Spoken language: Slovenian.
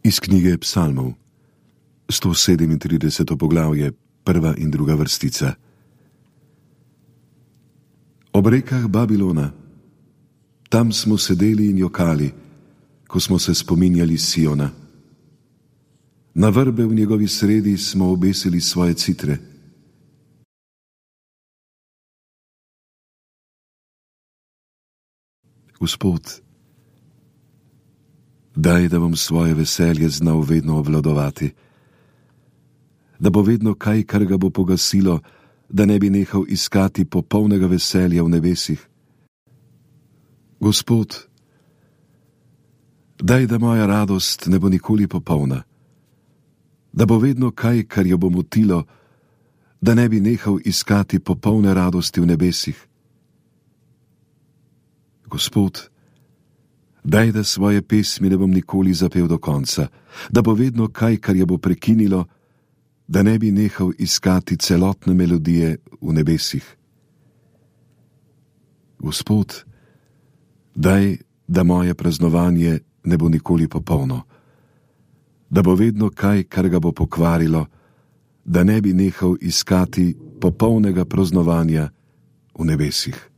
Iz knjige Psalmov, 137. poglavje, 1. in 2. vrstica. Ob rekah Babilona, tam smo sedeli in jokali, ko smo se spominjali Siona. Na vrbe v njegovi sredi smo obesili svoje citre. Gospod, daj, da bom svoje veselje znal vedno obvladovati, da bo vedno kaj, kar ga bo pogasilo, da ne bi nehal iskati popolnega veselja v nebesih. Gospod, daj, da moja radost ne bo nikoli popolna, da bo vedno kaj, kar jo bo motilo, da ne bi nehal iskati popolne radosti v nebesih. Gospod, daj, da svoje pesmi ne bom nikoli zapel do konca, da bo vedno kaj, kar jo bo prekinilo, da ne bi nehal iskati celotne melodije v nebesih. Gospod, daj, da moje praznovanje ne bo nikoli popolno, da bo vedno kaj, kar ga bo pokvarilo, da ne bi nehal iskati popolnega praznovanja v nebesih.